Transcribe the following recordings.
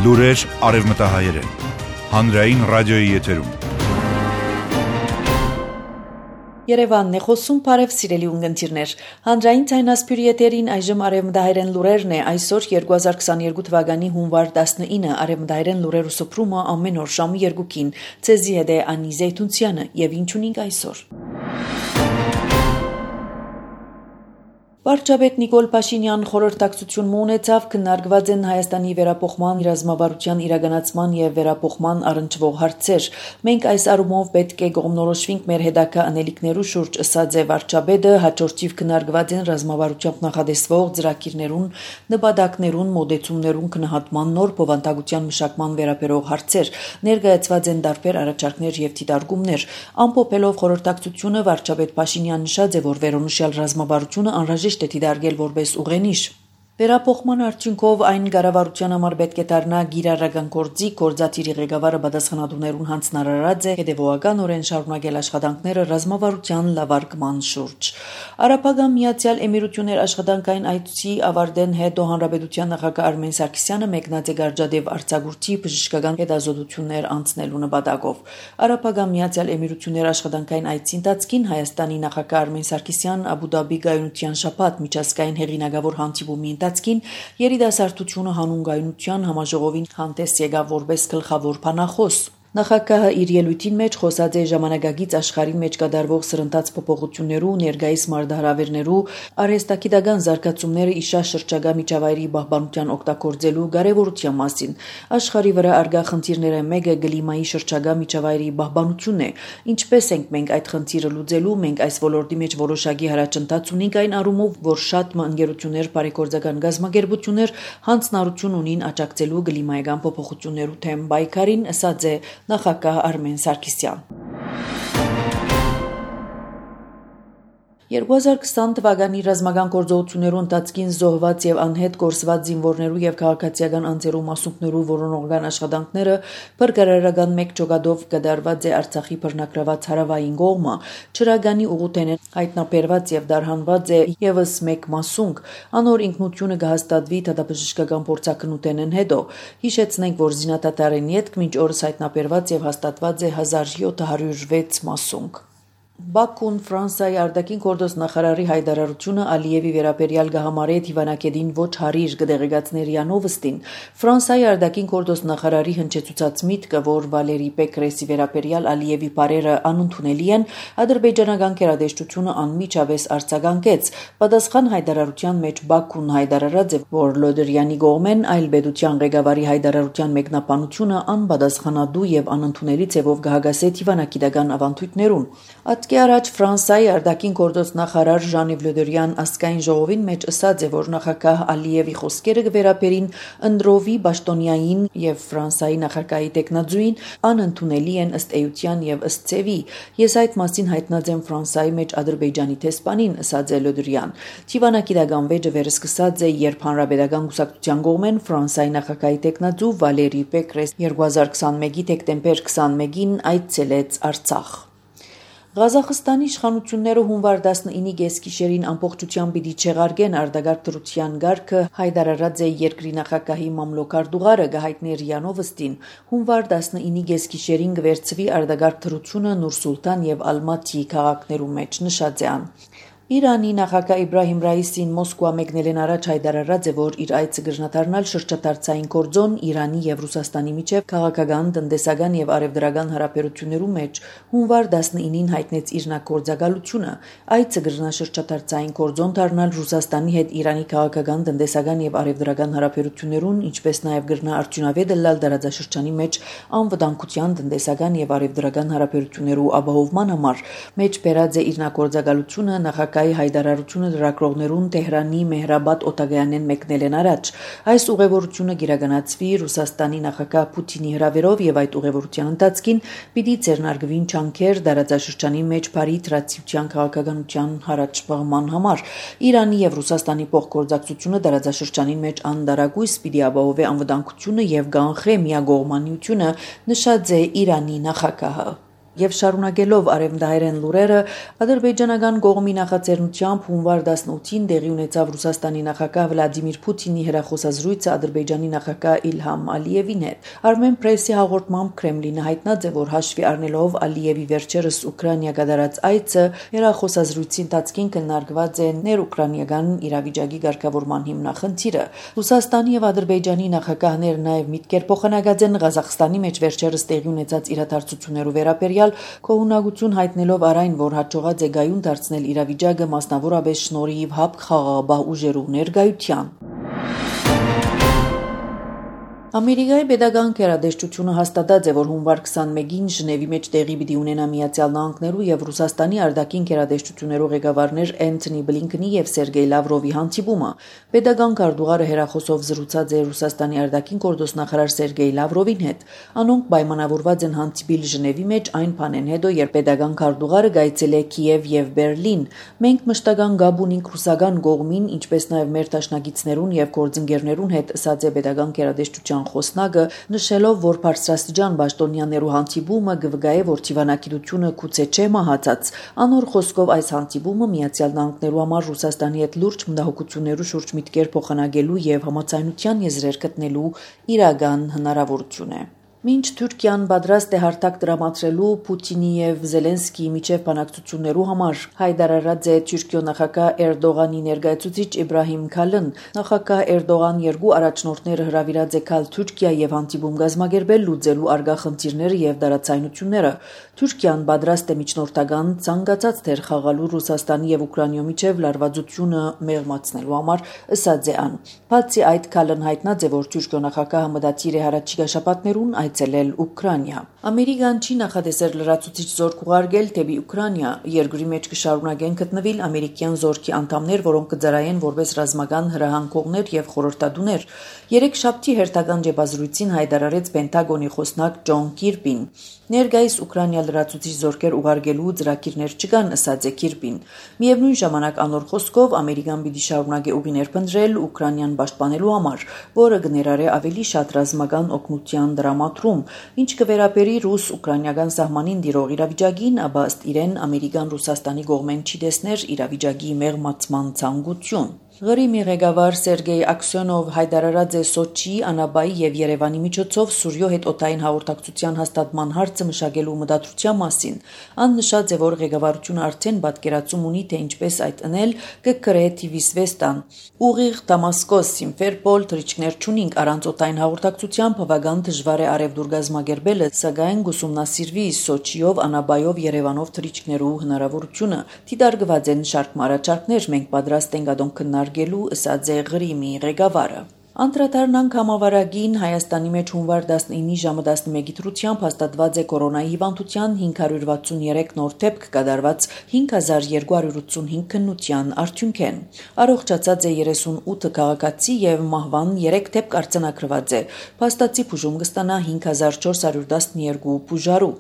Լուրեր արևմտահայերեն, հանրային ռադիոյի եթերում։ Երևանն է խոսում, բարև սիրելի ունգընտիրներ։ Հանրային ցայնասպյուրի եթերին այժմ արևմտահայերեն լուրերն է, այսօր 2022 թվականի հունվար 19-ը արևմտահայերեն լուրերու սփռումը ամեն օր ժամը 2-ին։ Ցեզի հետ է Անի Զեյթունցյանը եւ ինչ ունենք այսօր։ Վարչապետ Նիկոլ Փաշինյան խորհրդակցություն ունեցավ, քննարկված են Հայաստանի վերապոխման ռազմավարության իրականացման եւ վերապոխման առնչվող հարցեր։ Մենք այս առումով պետք է կողմնորոշվենք մեր հետագա անելիքներու շուրջ, ըսած է վարչապետը, հաջորդիվ քննարկված են ռազմավարությամբ նախադեсվող ծրագիրներուն, նպատակներուն, մոդեցումներուն քննադատման նոր բովանդակության մշակման վերաբերող հարցեր։ Ներկայացված են տարբեր առաջարկներ եւ դիտարկումներ։ Ամփոփելով խորհրդակցությունը վարչապետ Փաշինյան նշած է, որ վերոնշյալ ռազմավարությունը անհրաժեշտ է դիտարկել որպես ուղենիշ։ Վերապոխման արդյունքով այն կառավարության համար պետք է դառնա գիրառական գործի, գործադիրի ղեկավարը պատասխանատուներուն հանձնարարած է հետևողականորեն շարունակել աշխատանքները ռազմավարության լավարկման շուրջ։ Արաբական Միացյալ Էմիրություններ աշխատանքային այցի ավարտեն հետո հանրապետության նախագահ Արմեն Սարգսյանը մեկնած է Գարջադեվ արձակուրդի բժշկական հետազոտություններ անցնելու նպատակով։ Արաբական Միացյալ Էմիրություններ աշխատանքային այցի ընթացքին Հայաստանի նախագահ Արմեն Սարգսյան Աբու Դաբի գայունության շաբաթ միջազգային հեղինակավոր հանդիպումի երիտասարդությունը հանուն գայունության համաժողովին հանդես եկավ որպես գլխավոր բանախոս։ Նախագահը իր ելույթին մեջ խոսած է ժամանակակից աշխարհի մեջ կատարվող սրընթաց փոփոխություններու, ներկայիս մարտահրավերներու, արհեստագիտական զարգացումները իշա շրջակա միջավայրի պահպանության օգտագործելու կարևորության մասին։ Աշխարհի վրա արգա խնդիրները մեկը կլիմայի շրջակա միջավայրի պահպանությունն է։ Ինչպես ենք մենք այդ խնդիրը լուծելու, մենք այս ոլորտի մեջ որոշակի հարաճընթաց ունենք այն առումով, որ շատ ընկերություններ, բարեգործական գազམ་ագերբություններ հանձնարարություն ունին աջակցելու կլիմայական փոփոխություններու թեմ պայքարին, ըսած է նախագահ Արմեն Սարգսյան։ 2020 թվականի ռազմական գործողություններու ընթացքին զոհված եւ անհետ կորսված զինվորներու եւ քաղաքացիական անձերու մասունքներու որոնողական աշխատանքները բրգարարական մեկ ճոգադով կդարված է Արցախի բռնակրաված հարավային կողմը, Չրագանի ուղուտենեն հայտնաբերված եւ դարհանված է եւս մեկ մասունք, անոր ինքնությունը կհաստատվի դատաբժշկական փորձակնութենեն հետո։ Հիշեցնենք, որ զինադատարեն ետք մինչ օրս հայտնաբերված եւ հաստատված է 1706 մասունք։ Բաքուն Ֆրանսիայի արտաքին գործոստ նախարարի հայտարարությունը Ալիևի վերաբերյալ գահամարե Թիվանակեդին ոչ հարիր կդեղեկացներ Յանովստին։ Ֆրանսիայի արտաքին գործոստ նախարարի հնչեցուցած միտքը, որ Վալերի Պեկրեսի վերաբերյալ Ալիևի բարերը անընդունելի են, ադրբեջանական գերատեսչությունը անմիջապես արձագանքեց։ Պատասխան հայտարարության մեջ Բաքուն հայտարարած է, որ Լոդրյանի կողմեն այլ պետության ղեկավարի հայտարարության մեկնաբանությունը անպատասխանատու եւ անընդունելի ձևով կհագասե Թիվանակիդական ավանդույթներուն։ Ատկի առաջ Ֆրանսիայի արտաքին գործոստ նախարար Ժան-Իվ Լը Դրյան ազգային ժողովին մեջ ըսած է, որ նախագահ Ալիևի խոսքերը կվերապերին Անդրովի Բաշտոնյային եւ Ֆրանսիայի նախագահի տեխնազույին անընդունելի են ըստ էության եւ ըստ ցևի։ Ես այդ մասին հայտնած եմ Ֆրանսիայի մեջ Ադրբեջանի տեսփանին, ըսած է Լը Դրյան։ Թիվանակիդական վեճը վերսկսած է, երբ հանրապետական կուսակցության կողմեն Ֆրանսիայի նախագահի տեխնազու Վալերի Պեկրես 2021-ի դեկտեմբեր 21-ին այցելեց Արցախ։ Ղազախստանի իշխանությունները հունվար 19-ի գեսգիշերին ամբողջությամբ պիտի չեղարկեն արտագաղթ դրության գարկը, հայտարարած է երկրի նախագահի մամլոքարտուղարը Գահայտներ Յանովստին։ Հունվար 19-ի գեսգիշերին կվերցվի արտագաղթ դրությունը Նուր-Սուլտան եւ Ալմատի քաղաքներու մեջ, նշած է ան։ Իրանի նախագահ Իբրահիմ Ռայիսին Մոսկվա մեկնելեն առաջ հայտարարած է, որ իր այցը կրնադառնալ շրջադարձային կորձոն Իրանի եւ Ռուսաստանի միջև քաղաքական, տնտեսական եւ արևդրական հարաբերություններու մեջ հունվար 19-ին հայտնեց իր նախագործակալությունը։ Այցը կրնա շրջադարձային կորձոն դառնալ Ռուսաստանի հետ Իրանի քաղաքական, տնտեսական եւ արևդրական հարաբերություններուն, ինչպես նաեւ կրնա արդյունավետ լալ դարաձաշրջանի մեջ անվտանգության, տնտեսական եւ արևդրական հարաբերություններու ապահովման համար։ Մեջ բերած է իր նախագործակալությունը նախագահ հայտարարությունը լրագրողներուն Թեհրանի Մեհրաբադ օտագայանեն մեկնելեն առաջ։ Այս ուղևորությունը կիրականացվի Ռուսաստանի նախագահ Պուտինի հրավերով եւ այդ ուղևորության ընթացքին պիտի ձեռնարկվին ջանքեր դարաձաշրջանի մեջ բարի տրացիության քաղաքականության հարաճպաղման համար։ Իրանի եւ Ռուսաստանի փոխգործակցությունը դարաձաշրջանի մեջ անդարագույս պիտի ապահովի անվտանգությունը եւ կանխե միագողմանիությունը, նշած է Իրանի նախագահը։ Եվ շարունակելով արևմտահայերեն լուրերը, ադրբեջանական կողմի նախաձեռնությամբ հունվար 18-ին տեղի ունեցավ Ռուսաստանի նախագահ Վլադիմիր Պուտինի հեռախոսազրույցը Ադրբեջանի նախագահ Իլհամ Ալիևին հետ։ Armen Press-ի հաղորդմամբ Կրեմլինը հայտնած է, որ հաշվի առնելով Ալիևի վերջերս Ուկրաինա կատարած այցը, հեռախոսազրույցի ընթացքին քննարկված է ներուկրաինական իրավիճակի ղեկավարման հիմնախնդիրը։ Ռուսաստանի եւ Ադրբեջանի նախագահները նաեւ միտքեր փոխանակած են Ղազախստանի մեջ վերջերս տեղի ունեցած իրադարձություններով վերաբերյալ Կողունակություն հայտնելով այն, որ հաջողած է գայուն դարձնել իրավիճակը մասնավորապես շնորհիվ ՀԱՊԿ խաղաղապահ ուժերու ներկայության։ Ամերիկայի պետական գերատեսչությունը հաստատած է, որ հունվար 21-ին Ժնևի մեջ տեղի պիտի ունենա Միացյալ Նահանգներու եւ Ռուսաստանի արտաքին գերատեսչություններու ղեկավարներ Անթոնի Բլինքենի եւ Սերգեյ Լավրովի հանդիպումը։ Պետական քարտուղարը հերախոսով զրուցած է Ռուսաստանի արտաքին գործոստնախարար Սերգեյ Լավրովին հետ։ Անոնք պայմանավորված են հանդիպիլ Ժնևի մեջ այն բանեն հետո, երբ պետական քարտուղարը գայցել է Կիև եւ Բերլին։ Մենք մշտական գաբ ունենք ռուսական կողմին, ինչպես նաեւ մեր դաշնակիցներուն եւ գործընկերներուն հետ, ասաց է պետական գերատեսչության խոսնակը, նշելով, որ բարձրաստիճան պաշտոնյաներու հանդիպումը կվգայե, որ դիվանագիտությունը գուցե չէ մահացած։ Անոր խոսքով այս հանդիպումը Միացյալ Նահանգներու համար Ռուսաստանի հետ լուրջ մտահոգություններու շուրջ միտքեր փոխանակելու եւ համաձայնության եզրեր գտնելու իրական հնարավորություն է։ Մինչ Թուրքիան պատրաստ է հարթակ տրամադրելու Պուտինի եւ Զելենսկիի միջև բանակցություններու համար, հայտարարած է Թուրքիո նախագահ Էրդողանի ներկայացուցիչ Իբրահիմ Քալն։ Նախագահ Էրդողան երկու առաջնորդները հրավիրած է Քալ Թուրքիա եւ հանդիպում կազմակերպել լուծելու արգա խնդիրները եւ դարացայնությունները։ Թուրքիան պատրաստ է միջնորդական ցանկացած թեր խաղալու Ռուսաստանի եւ Ուկրաինայի միջև լարվածությունը մեղմացնելու համար, ըսած է ան։ Բացի այդ, Քալն հայտնած է, որ Թուրքիո նախագահը մտադիր է հառաջիկա շաբաթներուն այցելել Ուկրաինա։ Ամերիկան չի նախադեսել լրացուցիչ զորք ուղարկել դեպի Ուկրաինա։ Երկրի մեջ կշարունակեն գտնվել ամերիկյան զորքի անդամներ, որոնք կծրայեն որպես ռազմական հրահանգողներ եւ խորհրդատուներ։ Երեքշաբթի հերթական ջեբազրույցին հայտարարեց Պենտագոնի խոսնակ Ջոն Կիրբին։ Ներկայիս Ուկրաինա լրացուցիչ զորքեր ուղարկելու ծրագիրներ չկան, ըսած է Կիրբին։ Միևնույն ժամանակ անոր խոսքով Ամերիկան պիտի շարունակի ուղիներ փնտրել Ուկրաինան պաշտպանելու համար, որը կներառե ավելի շատ ռազմական օգնության դրամատրում, ինչ կվերապերի ռուս-ուկրաինական սահմանին դիրող իրավիճակին, ապա ըստ իրեն Ամերիկան Ռուսաստանի կողմեն չի տեսներ իրավիճակի մեղմացման ցանկություն։ Ղրիմի ղեկավար Սերգեյ Աքսյոնով հայտարարած է Սոչի, Անաբայի եւ Երևանի միջոցով Սուրյո հետ օդային հաղորդակցության հաստատման հարցը մշակելու մտադրության մասին։ Ան նշած է, որ ղեկավարությունը արդեն պատկերացում ունի, թե ինչպես այդ անել կգրե TV-Svestan։ Ուղիղ Դամասկոս, Սիմֆերպոլ թռիչքներ չունինք, առանց օդային հաղորդակցության բավական դժվար է արևդուր գազմագերբելը, սակայն գուսումնասիրվի Սոչիով, Անաբայով, Երևանով թռիչքներու հնարավորությունը։ Դիտարկված են շարք առաջարկներ, մենք պատրաստ ենք ադոնք քննարկելու, ըսած է Ղրիմի ղեկավարը։ Անդրադառնանք համավարակին Հայաստանի մեջ հունվար 19-ի ժամը 11-ի դրությամբ հաստատված է կորոնայի հիվանդության 563 նոր դեպք կատարված 5285 քննության արդյունքեն։ Առողջացած է 38 քաղաքացի եւ մահվան 3 դեպք արձանագրված է։ Փաստացի բուժում կստանա 5412 բուժարու։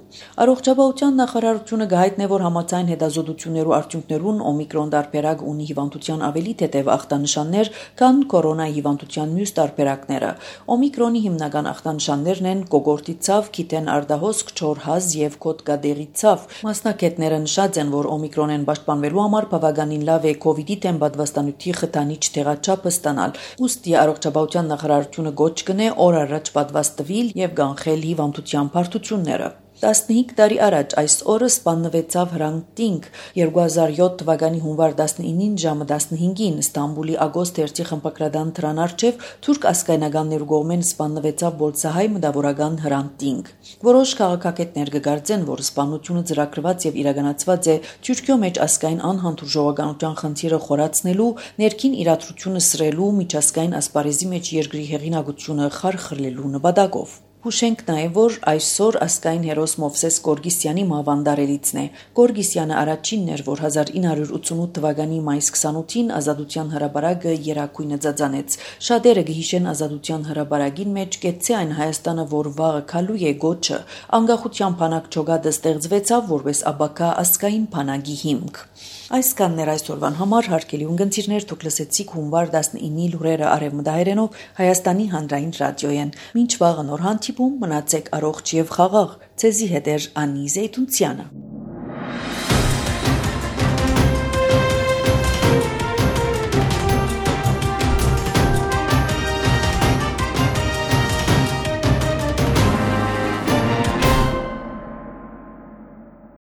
Առողջապահության նախարարությունը գահիտնե, որ համաձայն հետազոտություններու արդյունքներուն օմիկրոն տարբերակ ունի հիվանդության ավելի թեթև ախտանշաններ, քան կորոնայի հիվանդության մյուս տարբերակները։ Օմիկրոնի հիմնական ախտանշաններն են կոկորտի ցավ, քիթեն արդահոսք, չոր հազ եւ կոթկադեղի ցավ։ Մասնակիցները նշած են, որ օմիկրոնեն պաշտպանվելու համար բավականին լավ է COVID-ի դեմ պատվաստանյութի խթանիչ տեղաչափը ստանալ։ Ուստի առողջապահության նախարարությունը գոչ կնե օր առաջ պատվաստվել եւ կանխել հիվանդության բարդությունները։ 15 տարի առաջ այս օրը սպանվեցավ Հրանտ Տինգ 2007 թվականի հունվար 19-ին ժամը 15-ին Ստամբուլի Ագոստ երթի խմբակրադան թրան առջև թուրք ասկայնականներու կողմեն սպանվեցավ բոլցահայ մտավորական Հրանտ Տինգ։ Որոշ քաղաքագետներ կգործեն, որ սպանությունը ծրագրված եւ իրականացված է Թուրքիո մեջ ասկայն անհանդուրժողականության խնդիրը խորացնելու, ներքին իրադրությունը սրելու, միջազգային ասպարեզի մեջ երկրի հեղինակությունը խարխլելու նպատակով։ Հուշենք նաև, որ այսօր ասկային հերոս Մովսես Գորգիսյանի մահվան տարելիցն է։ Գորգիսյանը առաջինն էր, որ 1988 թվականի մայիս 28-ին Ազատության հրապարակը երակույնը ծածանեց։ Շատերը կհիշեն Ազատության հրապարակին մեջ կեցցե այն Հայաստանը, որ վաղը քալու է գոչը։ Անկախության բանակ ջոգադը ստեղծվեցավ որպես աբակա ասկային բանակի հիմք։ Այսքանն էր այսօրվան համար, հարգելի ունգընտիրներ, դուք լսեցիք հունվար 19-ի լուրերը արևմտահայերենով Հայաստանի հանրային ռադիոյեն։ Մինչ վաղը նոր հանդիպում, մնացեք առողջ եւ խաղաղ։ Ձեզի հետ էր Անի Զեյթունցյանը։